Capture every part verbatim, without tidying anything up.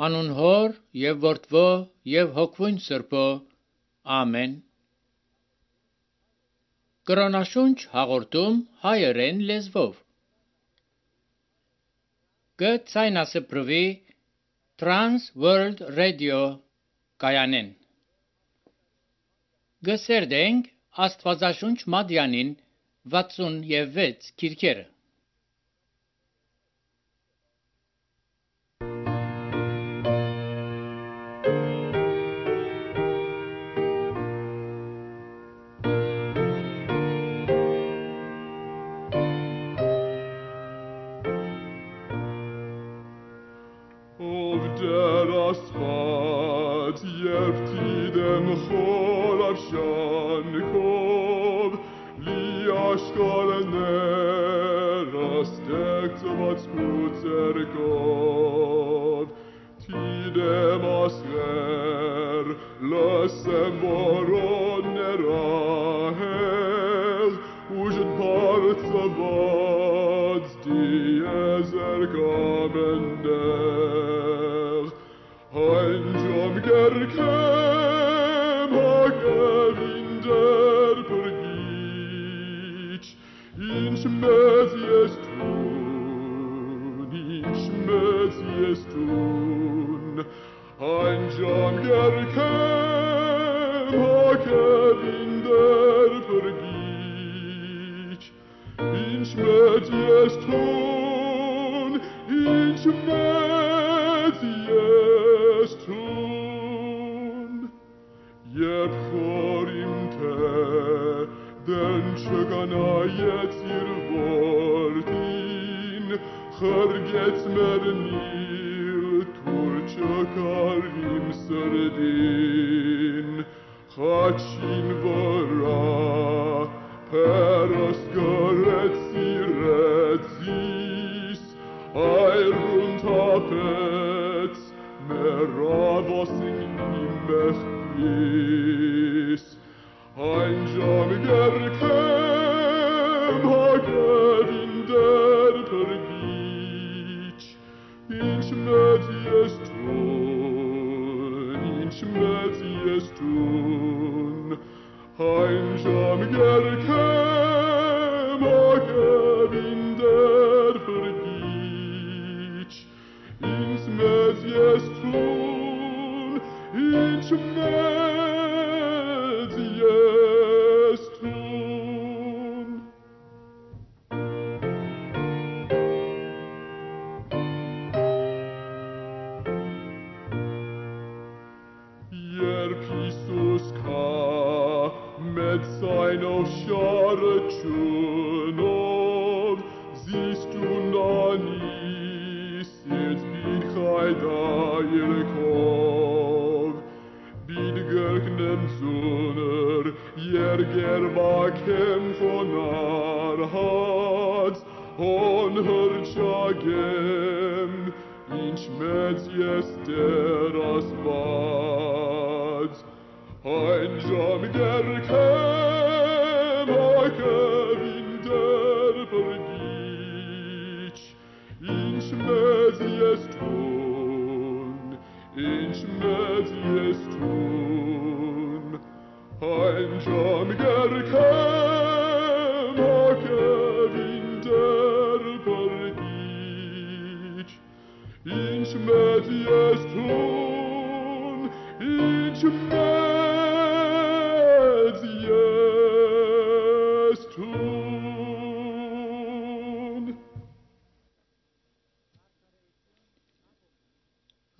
Անուն Հոր եւ Որդվո եւ Հոգվուն Սրբո։ Ամեն։ Կրոնաշունչ հաղորդում հայերեն լեզվով։ Գցայնասպրվի Trans World Radio կայանեն։ Գսերդենք Աստվածաշունչ Մադյանին վաթսունվեց քիրքերը։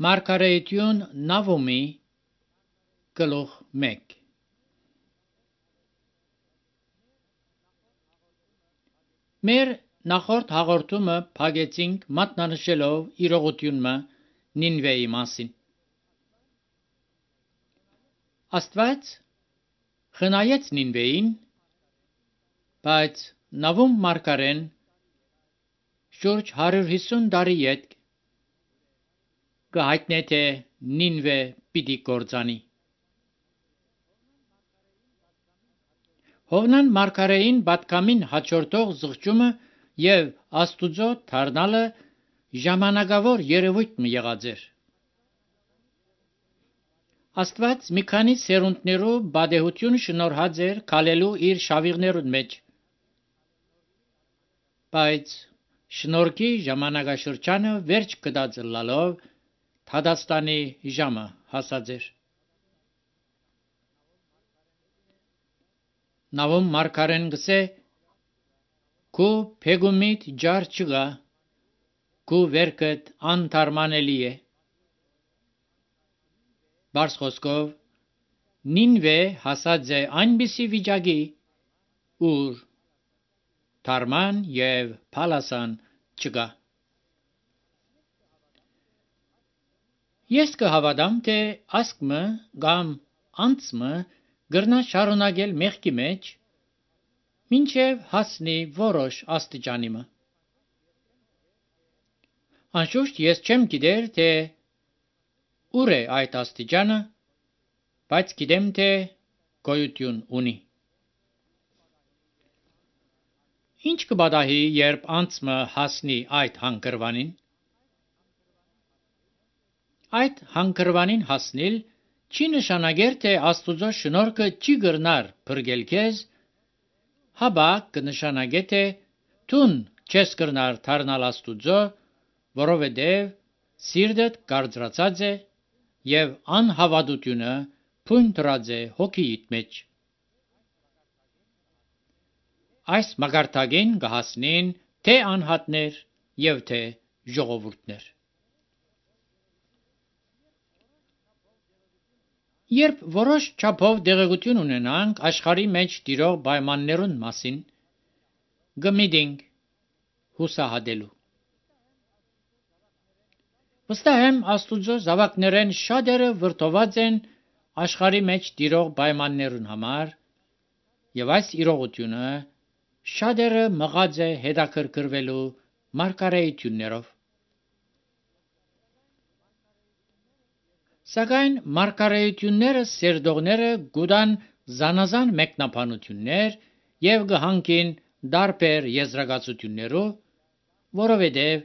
Մարգարեություն Նավոմի գլուխ մեկ։ Մեր նախորդ հաղորդումը փակեցինք մատնանշելով իրողությունը Նինվեի մասին։ Աստված խնայեց Նինվեին, բայց Նավոմ մարգարեն շուրջ հարյուր հիսուն տարի յետ կհայտնե թե Նինվե պիտի կործանի։ Հովնան մարգարեին պատկամին հաջորդող զղջումը եւ Աստուծո դառնալը ժամանակավոր երևույթ մի եղած էր։ Աստված մի քանի սերունդներու բադեհություն շնորհած էր քալելու իր շավիղներուն մեջ, բայց շնորհքի ժամանակաշրջանը վերջ կդածլալով Թադաստանի ժամը հասած էր։ Նավոմ մարգարեն գսե քու փեգումիտ ջար չգա, քու վերքդ անթարմանելի է։ Բարս խոսքով Նինվե հասած է այնպիսի վիճակի, ուր թարման եւ փալասան չգա։ Ես կհավատամ, թե ասկմը կամ անցմը գրնա շարունակել մեղքի մեջ, մինչև հասնի որոշ աստիճանիմը։ Անշուշտ ես չեմ գիտեր, թե ուր է այդ աստիճանը, բայց գիտեմ, թե գոյություն ունի։ Ինչ կբադահի, երբ անցմը հասնի այդ հանգրվանին։ Այդ հանգրվանին հասնել չի նշանակեր, թե Աստուծո շնորհքը չի գրնար փրկել քեզ, հաբա կնշանակե, թե դուն չես գրնար դառնալ Աստուծո, որովհետև սիրտդ կարծրացած է եւ անհավատությունը փույն դրած է հոգիիդ մեջ։ Այս մագարտագին կհասնին թե անհատներ եւ թե ժողովուրդներ։ Երբ որոշ չափով դեղեցություն ունենանք աշխարհի մեջ տիրող պայմաններուն մասին, գմիդինք հուսահատելու։ Վստահ եմ Աստուծո զավակներեն շատերը վրդոված են աշխարհի մեջ տիրող պայմաններուն համար, եւ այս իրողությունը շատերը մղած է հետաքրքրվելու մարգարեություններով։ Սակայն մարգարեությունները սերդողները գուտան զանազան մեկնաբանություններ եւ գհանքին դարբեր եզրակացություններով, որովհետեւ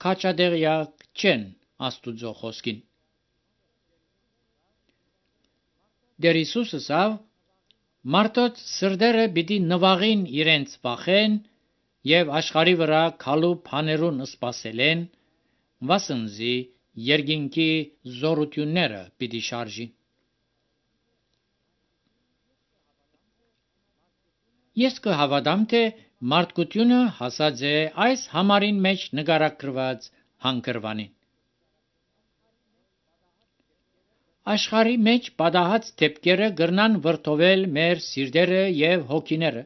քաջադեղյակ չեն Աստուծո խոսքին։ Դեր Հիսուսը ասավ. մարդոց սրտերը պիտի նվաղին իրենց վախեն եւ աշխարհի վրա քալու բաներուն սպասելեն, վասնզի երկինքի զորությունները պիտի շարժին։ Ես կհավատամ, թե մարդկությունը հասած է այս համարին մեջ նկարագրված հանգրվանին։ Աշխարհի մեջ պատահած դեպքերը գրնան վրդովել մեր սիրտերը եւ հոգիները,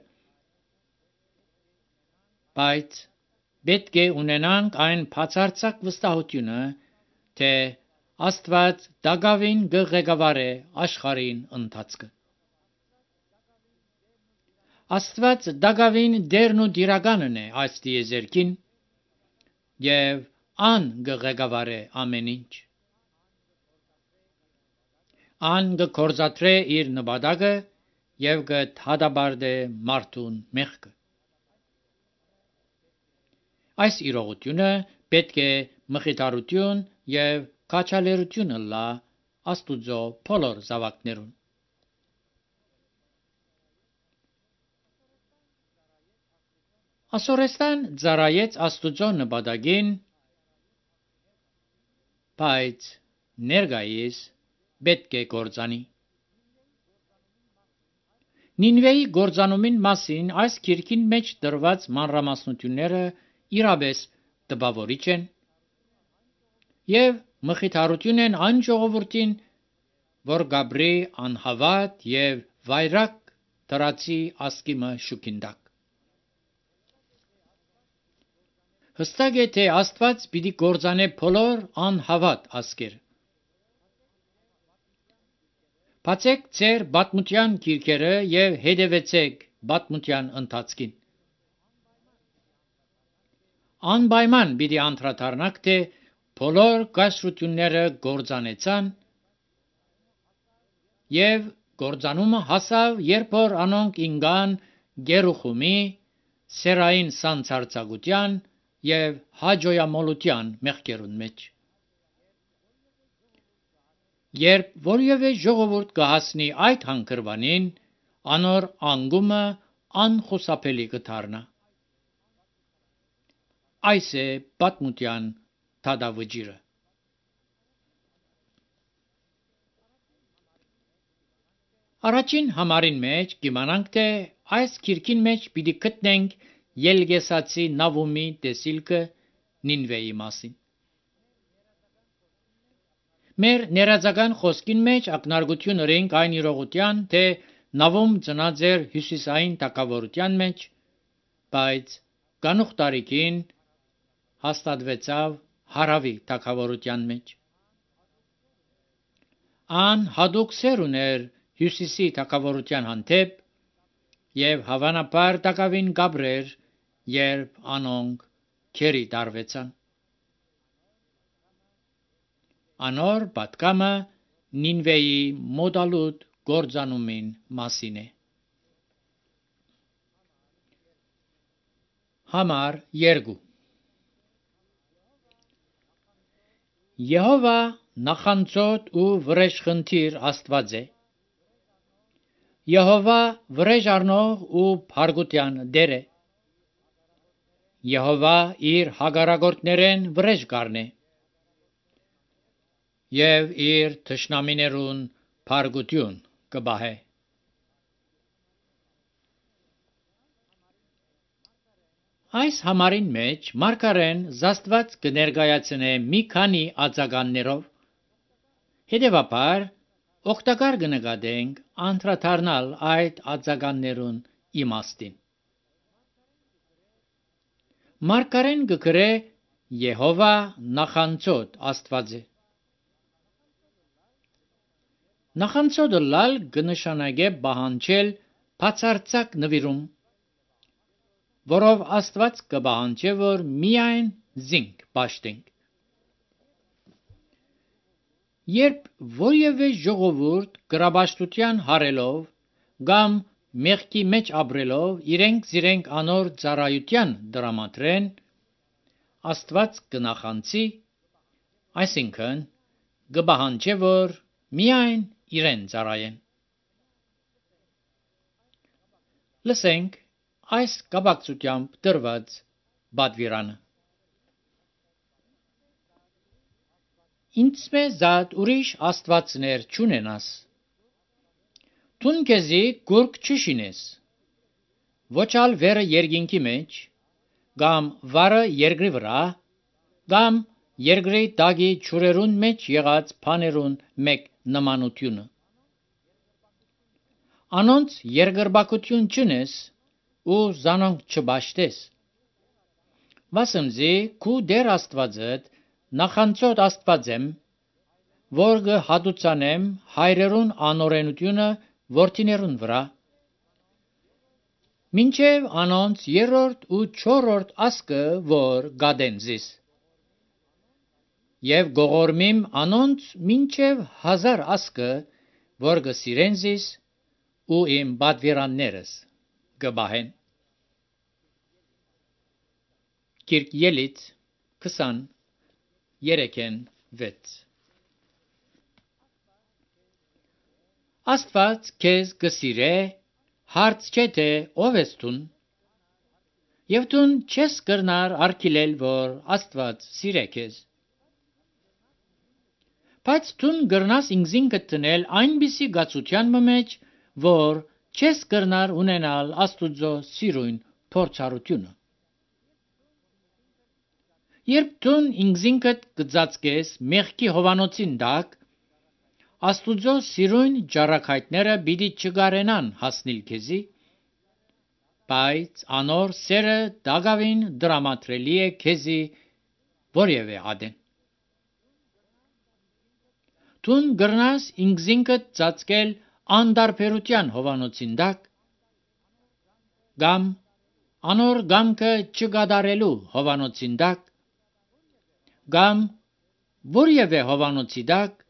բայց պետք է ունենանք այն բացարձակ վստահությունը, թե Աստված դակավին կղեկավարե աշխարհին ընթացքը։ Աստված դակավին դերն ու դիրականն է այս տիեզերքին եւ ան կղեկավարե ամեն ինչ։ Ան կգործադրե իր նպատակը եւ կհադաբարդե մարդուն մեղքը։ Այս իրողությունը պետք է մխիթարություն եւ քաջալերություն լա Աստուծո բոլոր զավակներուն։ Ասորեստան ծառայեց Աստուծո նպատակին, բայց ներկայիս պետք է գործանի։ Նինվեի գործանումին մասին այս քիրքին մեջ դրված մանրամասնությունները իրապես տպավորիչ են եւ մխիթարություն են այն ժողովրդին, որ գաբրի անհավատ եւ վայրակ դրացի ասկիմը շուքինդակ։ Հստակ է, թե Աստված պիտի գործանե բոլոր անհավատ ասկերը։ Բացեք ձեր պատմության գիրքերը եւ հետևեցեք պատմության ընթացքին։ Անպայման պիտի անդրադառնաք, թե բոլոր կայսրությունները գործանեցան եւ գործանումը հասավ, երբ որ անոնք ինգան գերուխումի, սերային սանցարցակության եւ հաջոյամոլության մեղքերուն մեջ։ Երբ որևէ ժողովուրդ կհասնի այդ հանգրվանին, անոր անգումը անխուսափելի կդառնա։ Այս է պատմության դատավճիռը։ Առաջին համարին մեջ կիմանանք, թե այս քիրքին մեջ պիտի գտնենք Ելգեսացի Նավումի տեսիլքը Նինվեի մասին։ Մեր ներածական խոսքին մեջ ակնարկություն ունենք այն իրողության, թե Նավում ծնած էր հյուսիսային թագավորության մեջ, բայց գանուխ տարիքին հաստատվեցավ հարավի թագավորության մեջ։ Ան հատուկ սեր ուներ հյուսիսի թագավորության հանդեպ եւ հավանաբար տակավին գաբրեր, երբ անոնք քերի տարվեցան։ Անոր պատկամը Նինվեի մոդալուտ գործանումին մասին է։ Համար երկու Եհովա նախանձոտ ու վրեժխնդիր Աստված է։ Եհովա վրեժ առնող ու փարգության դեր է։ Եհովա իր հագարագործներեն վրեժ կառնե եւ իր թշնամիներուն փարգություն կբահե։ Այս համարին մեջ մարգարեն զաստված կներկայացնե մի քանի արձագաններով, հետևաբար օգտակար կնկատենք անդրադառնալ այդ արձագաններուն իմաստին։ Մարգարեն կգրե Եհովա նախանձոտ Աստված է։ Նախանձոտը լալ կնշանակե պահանջել բացարձակ նվիրում, որով Աստված կպահանջե, որ միայն զինք պաշտենք։ Երբ որևէ ժողովուրդ կրապաշտության հարելով կամ մեղքի մեջ ապրելով իրենք զիրենք անոր ծառայության դրամատրեն, Աստված կնախանձի, այսինքն կպահանջե, որ միայն իրեն ծառայեն։ Լսենք այս կապակցությամբ դրված պատվիրանը։ Ինձ զատ ուրիշ աստվածներ չունենաս։ Տուն քեզի գուրկ չշինես, ոչ ալ վերը երկինքի մեջ, կամ վարը երկրի վրա, կամ երկրի տակի ջուրերուն մեջ եղած բաներուն մեկ նմանությունը։ Անոնց երկրպագություն չնես ու զանոնք չպաշտես։ Վասնզի քու Տեր Աստվածդ նախանձոտ Աստված եմ, որ կհատուցանեմ հայրերուն անօրենությունը որդիներուն վրա, մինչև անոնց երրորդ ու չորրորդ ասկը, որ գադեն զիս, եւ գողորմիմ անոնց մինչև հազար ասկը, որ կսիրեն զիս ու իմ պատվիրաններս կպահեն։ Կիրք Ելից քսան երեքեն վեց Աստված քեզ կսիրե, հարց չէ թե ով ես դուն, եւ դուն չես կրնար արգիլել, որ Աստված սիրե քեզ։ Բայց դուն կրնաս ինքզինքդ տնել այնպիսի գացության մեջ, որ չես կրնար ունենալ Աստուծո սիրուն փորձառությունը։ Երբ դուն ինքզինքդ կծածկես մեղքի հովանոցին տակ, Աստուծո սիրուն ճառագայթները պիտի չկարենան հասնել քեզի, բայց անոր սերը դակավին դրամատրելի է քեզի որևէ ադեն։ Դուն կրնաս ինքզինքդ ծածկել անտարբերության հովանոցին տակ, կամ անոր գամքը չկատարելու հովանոցին տակ, կամ որևէ հովանոցի տակ,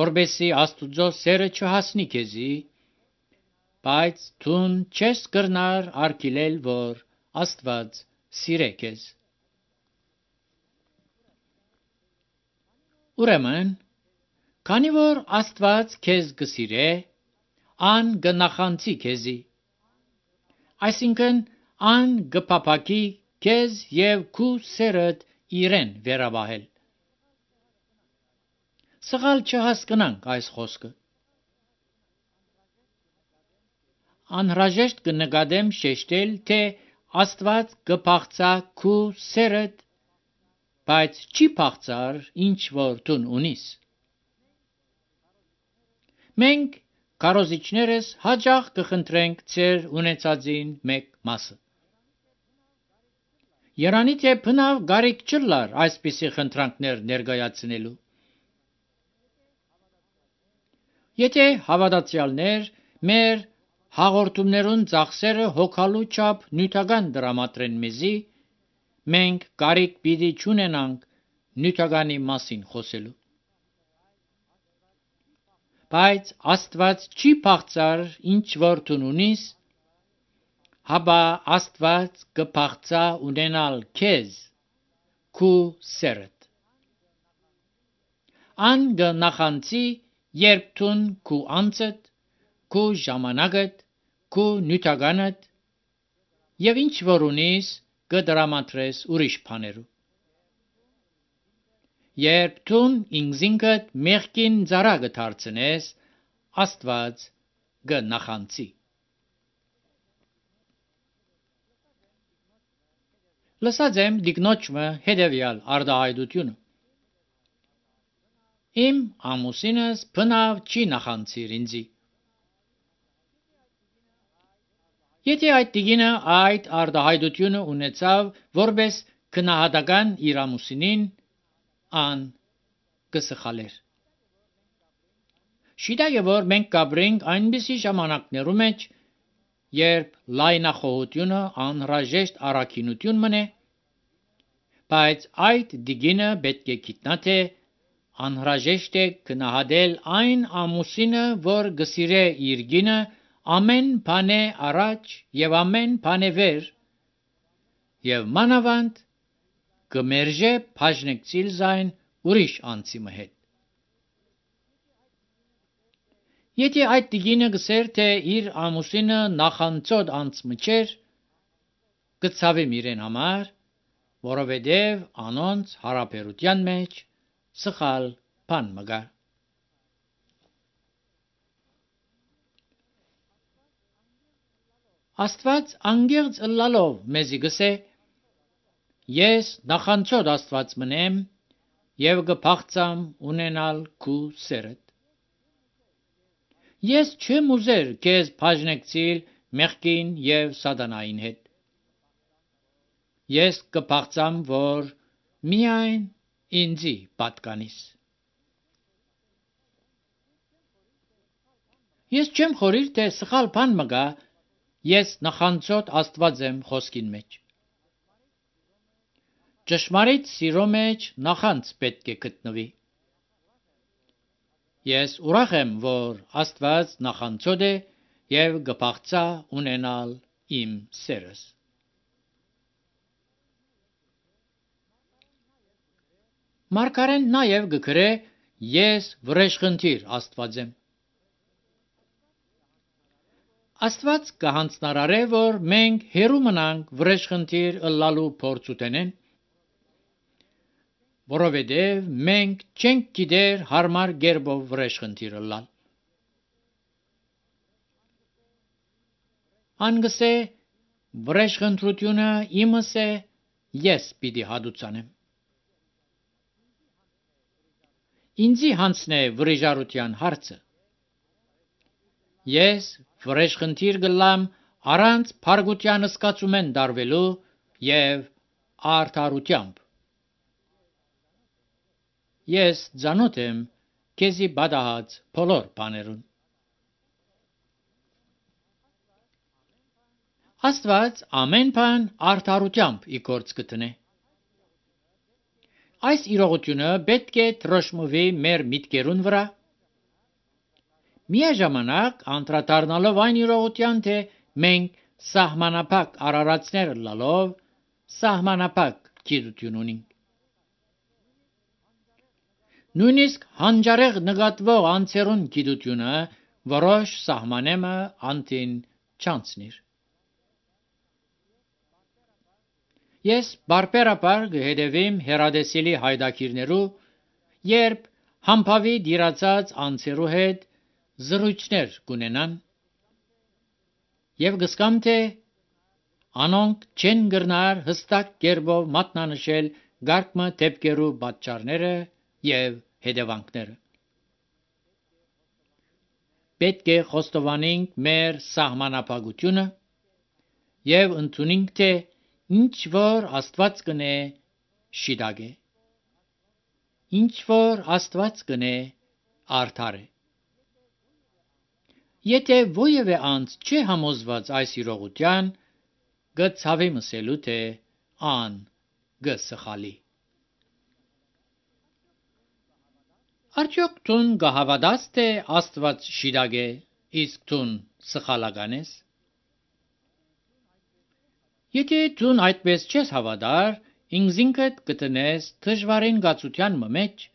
որբեսի Աստուծո սերը չհասնի քեզի, բայց դուն չես կրնար արգիլել, որ Աստված սիրե քեզ։ Ուրեմն Քանի որ Աստված քեզ գսիրե, ան գնախանցի քեզի, այսինքն ան գփափակի քեզ եւ քու սերդ իրեն վերաբահել։ Սխալ չհասկնանք այս խոսքը։ Անհրաժեշտ կնկատեմ շեշտել, թե Աստված կփախցա քու սերդ, բայց չի փախցար ինչ որ դու ունիս։ Մենք կարոզիչներս հաճախ կխնդրենք ձեր ունեցածին մեկ մասը։ Երանի թե բնավ գարիք չլար այսպիսի խնդրանքներ ներկայացնելու։ Եթե հավատացյալներ մեր հաղորդումներուն ծախսերը հոգալու չափ նյութական դրամատրեն մեզի, մենք գարիք պիտի չունենանք նյութականի մասին խոսելու։ Բայց Աստված չի փախցար ինչ որ դու ունիս, հաբա Աստված կփախցա ունենալ քեզ, քու սերդ։ Ան գնախանցի, երբ դու քու անձդ, քու ժամանակդ, քու նյութականդ եւ ինչ որ ունիս կդրամատրես ուրիշ բաներու։ Երբ դու ինքզինքդ մեղքին ծառա դարձնես, Աստված կնախանցի։ Լսած եմ դիկնոջը հետևյալ արտահայտությունը. Իմ ամուսինս բնավ չի նախանցիր ինձի։ Եթե այդ տիկինը այդ արտահայտությունը ունեցավ որպես քնահատական իր ամուսինին, ան կսխալեր։ Շիտա է, որ մենք կապրենք այնպիսի ժամանակներու մեջ, երբ լայնախոհությունը անհրաժեշտ առաքինություն մնե, բայց այդ դիգինը պետք է գիտնա, թե անհրաժեշտ է գնահատել այն ամուսինը, որ գսիրե իր գինը ամեն բանե առաջ եւ ամեն բանե վեր, եւ մանավանդ կմերժե բաժնեկցիլ զայն ուրիշ անձիմը հետ։ Եթե այդ տիկինը գսեր, թե իր ամուսինը նախանցոտ անձմը չէր, կցավեմ իրեն համար, որովհետև անոնց հարաբերության մեջ սխալ բան մգա։ Աստված անգերց ըլլալով մեզի գսե, ես նախանցոտ Աստված մնեմ եւ կփախցամ ունենալ քու սերդ։ Ես չեմ ուզեր քեզ բաժնեկցիլ մեղքին եւ սատանային հետ։ Ես կփախցամ, որ միայն ինձի պատկանիս։ Ես չեմ խորիր, թե սխալ բան մգա, ես նախանցոտ Աստված եմ խոսքին մեջ։ Ճշմարիտ սիրո մեջ նախանց պետք է գտնվի։ Ես ուրախ եմ, որ Աստված նախանցոտ է եւ կփախցա ունենալ իմ սերս։ Մարգարեն նաեւ գկրե ես վրեժխնդիր Աստված եմ։ Աստված կհանձնարարե, որ մենք հերու մնանք վրեժխնդիր ըլլալու փորձ ուտենեն, որովհետև մենք չենք գիտեր հարմար գերբով վրեժխնդիր ըլլալ։ Անգսե վրեժխնդրությունը իմս է, ես պիտի հադուցանեմ։ Ինձի հանցնե վրեժարության հարցը։ Ես վրեժխնդիր գլամ առանց փարգության սկացումեն դարվելու եւ արդարությամբ։ Ես ծանոթ եմ քեզի բադահած բոլոր բաներուն։ Աստված ամեն բան արդարությամբ իգործ կտնե։ Այս իրողությունը պետք է թրոշմվի մեր միտքերուն վրա, միաժամանակ անդրադառնալով այն իրողության, թե մենք սահմանափակ արարածներ լալով սահմանափակ գիտություն ունենք։ Նույնիսկ հանջարեղ նկատվող անձերուն գիտությունը որոշ սահմանեմը անտին չանցնիր։ Ես բարբերաբար կհետևեմ հերադեսիլի հայդակիրներու, երբ համբավի դիրացած անձերու հետ զրույցներ կունենան, եւ կսկամ թե անոնք չեն գրնար հստակ կերպով մատնանշել գարկմը դեպքերու պատճառները եւ հետևանքները։ Պետք է խոստովանենք մեր սահմանափակությունը եւ ընդունենք թե ինչ որ Աստված կնե շիդագ է, ինչ որ Աստված կնե արդար է։ Եթե ովևէ անձ չի համոզված այս իրողության, գծավի մսելու թե ան գսխալի։ Արդյոք տուն գահավադաս թե Աստված շիդագ է, իսկ տուն սխալական ես։ Եթե տուն այդպես չես հավատար, ինքզինքդ կտնես դժվարին գացության մեջ,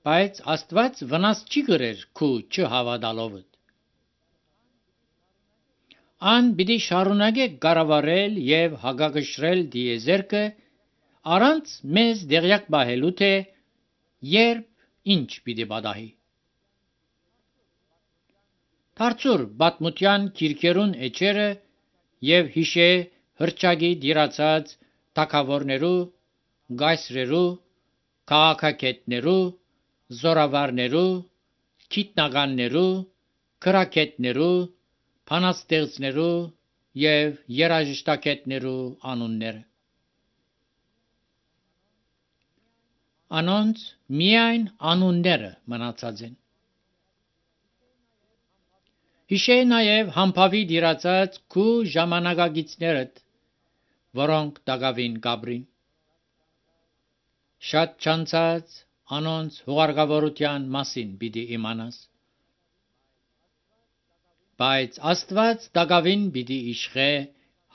բայց Աստված վնաս չի գրեր քու չհավատալովդ։ Ան պիտի շարունակե կառավարել եւ հագագշրել դիեզերքը առանց մեզ դեղյակ բահելու թե երբ ինչ պիտի պատահի։ Դարձուր պատմության գիրքերուն էջերը եւ հիշե հրճագի դիրացած թագավորներու, գայսրերու, քաղաքագետներու, զորավարներու, գիտնականներու, քրակետներու, փանաստեղծներու եւ երաժշտակետներու անունները։ Անոնց միայն անունները մնացած են։ Հիշե նաև համբավի դիրացած քու ժամանակագիցներդ, որոնք դակավին գաբրին։ Շատ չանցած անոնց հուղարկավորության մասին պիտի իմանաս։ Բայց Աստված դակավին պիտի իշխե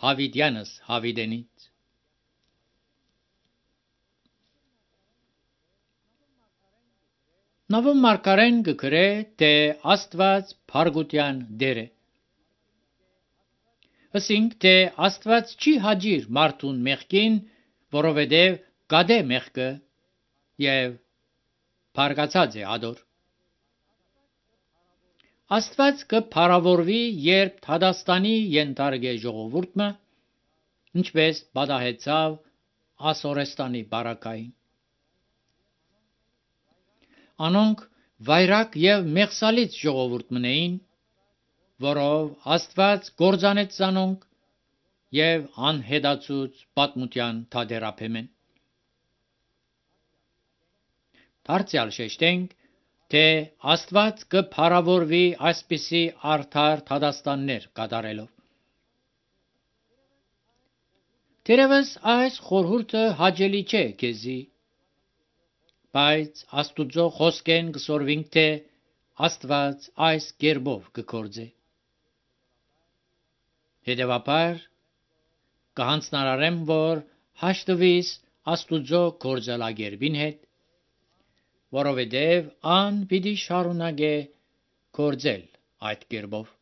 հավիտյանս հավիտենից։ Նավոն մարգարեն կգրե, թե Աստված փարգության դեր է։ Ասինք, թե Աստված չի հաջիր մարդուն մեղքին, որովհետև գադե մեղքը եւ փարգացած է ադոր։ Աստված կփարավորվի, երբ Թադաստանի ենթարկե ժողովուրդը, ինչպես պատահեցավ Ասորեստանի բարակային։ Անոնք վայրակ եւ մեղսալից ժողովուրդ մնեին, որով Աստված գործանեց զանոնք եւ անհետացուց պատմության թադերափեմեն։ Դարձյալ շեշտենք, թե Աստված կփարավորվի այսպիսի արդար թադաստաններ կատարելով։ Թերևս այս խորհուրդը հաճելի չէ քեզի, բայց Աստուծո խոսքեն կսորվինք, թե Աստված այս կերպով կգործե։ Հետևաբար կհանձնարարեմ, որ հաշտվիս Աստուծո գործելագերբին հետ, որովհետև ան պիտի շարունակե գործել այդ կերպով։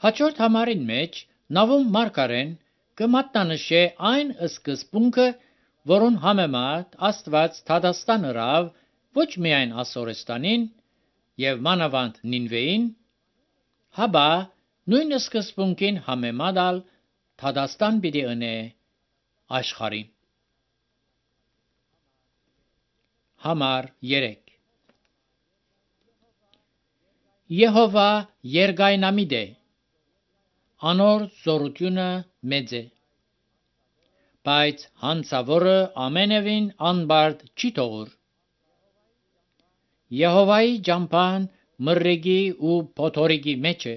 Հաջորդ համարին մեջ Նավոն մարգարեն կմատնանշե այն սկզբունքը, որուն համեմատ Աստված Թադաստան հրավ ոչ միայն Ասորեստանին եւ մանավանդ Նինվեին, հաբա նույն սկզբունքին համեմատալ Թադաստան պիտի ընե աշխարհին։ Համար երեք Եհովա երկայնամիտ է, անոր զորությունը մեծ է, բայց հանցավորը ամենևին անբարդ չի թողուր։ Եհովայի ճամփան մռեգի ու փոթորիկի մեջ է,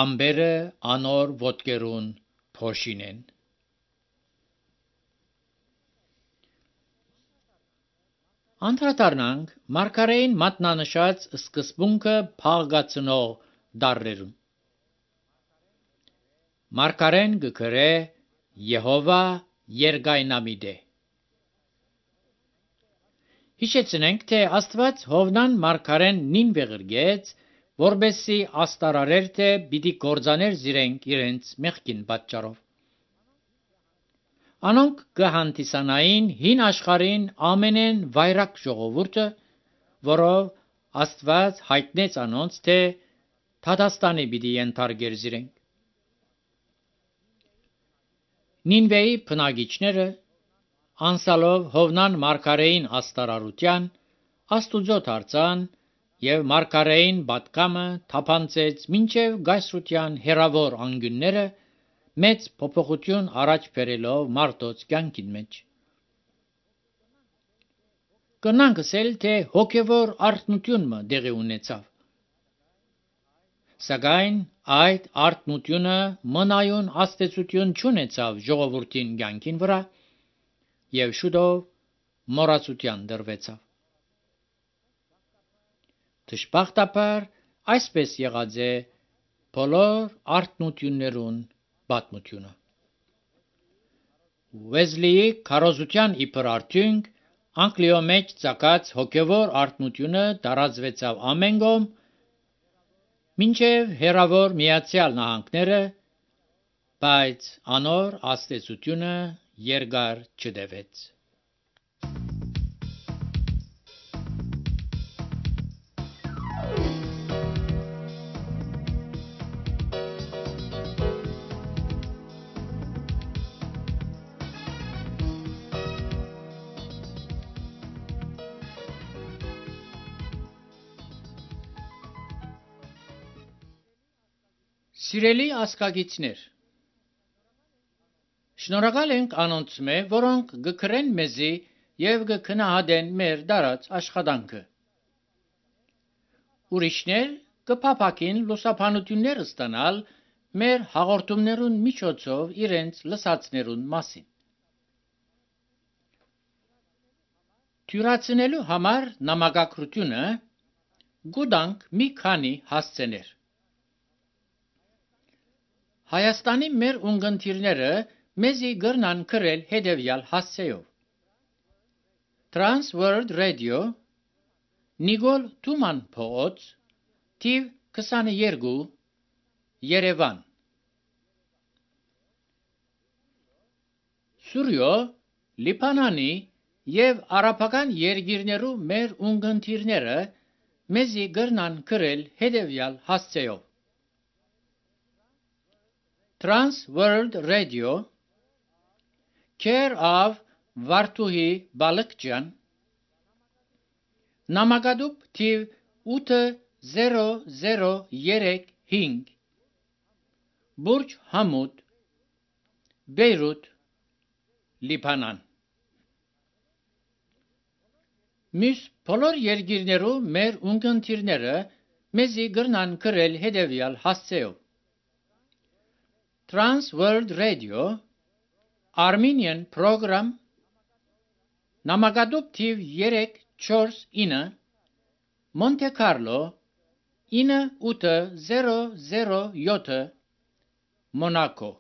ամբերը անոր ոտքերուն փոշին են։ Անդրադառնանք մարգարեին մատնանշած սկզբունքը փաղկացնող դառերուն։ Մարգարեն գկրե Եհովա երգայնամիտ է։ Հիշեցնենք, թե Աստված Հովնան մարգարեն նին վեղրգեց, որբեսի աստարարեր թե պիտի կործաներ զիրենք իրենց մեղքին պատճառով։ Անոնք կհանդիսանային հին աշխարհին ամենեն վայրակ ժողովուրդը, որով Աստված հայտնեց անոնց, թե Թադաստանի պիտի ենթարկեր զիրենք։ Նինվեի բնակիչները անսալով Հովնան մարգարեին աստարարության, Աստուծո դարձան եւ մարգարեին պատկամը թափանցեց մինչև գայսրության հերավոր անգյունները, մեծ փոփոխություն առաջ բերելով մարդոց կյանքին մեջ։ Կնանք ասել, թե հոգևոր արթնությունը դեղի ունեցավ։ Սակայն այդ արթնությունը մնայուն աստեցություն չունեցավ ժողովրդին կյանքին վրա եւ շուտով մոռացության դրվեցավ։ Դժբախտաբար այսպես եղած է բոլոր արթնություններուն պատմությունը։ Ուեզլիի քարոզության իբր արդյունք Անգլիո մեջ ցակած հոգևոր արթնությունը տարածվեցավ ամեն կողմ, մինչև հերավոր Միացյալ Նահանգները, բայց անոր աստեցությունը երկար չտևեց։ Սիրելի ասկագիցներ, շնորհակալ ենք անոնց մե, որոնք գկրեն մեզի եւ գքնահատեն մեր դարած աշխատանքը։ Ուրիշներ կփափակին լուսաբանություններ ստանալ մեր հաղորդումներուն միջոցով իրենց լսածներուն մասին։ Թյուրացնելու համար նամակագրությունը գուտանք մի քանի հասցեներ։ Հայաստանի մեր ունգընտիրները մեզի գրնան գրել հետևյալ հասցեով. Trans World Radio, Նիգոլ Թուման փողոց, թիվ քսաներկու, Երևան։ Սուրյո, Լիբանանի եւ արաբական երկիրներու մեր ունգընտիրները մեզի գրնան գրել հետևյալ հասցեով. Trans World Radio, Care of Վարդուհի Բալկջյան, Նամակադուբ թիվ ութ զերո զերո երեք հինգ, Բուրջ Համուդ, Բեյրութ, Լիբանան։ Մյուս բոլոր երկիրներու մեր ունգընտիրները մեզի գրնան գրել հետևյալ հասցեով. Trans World Radio, Armenian Program, Նամակադուբ թիվ երեք չորս ինը, Monte Carlo, ինը ութ զերո զերո յոթ, Monaco։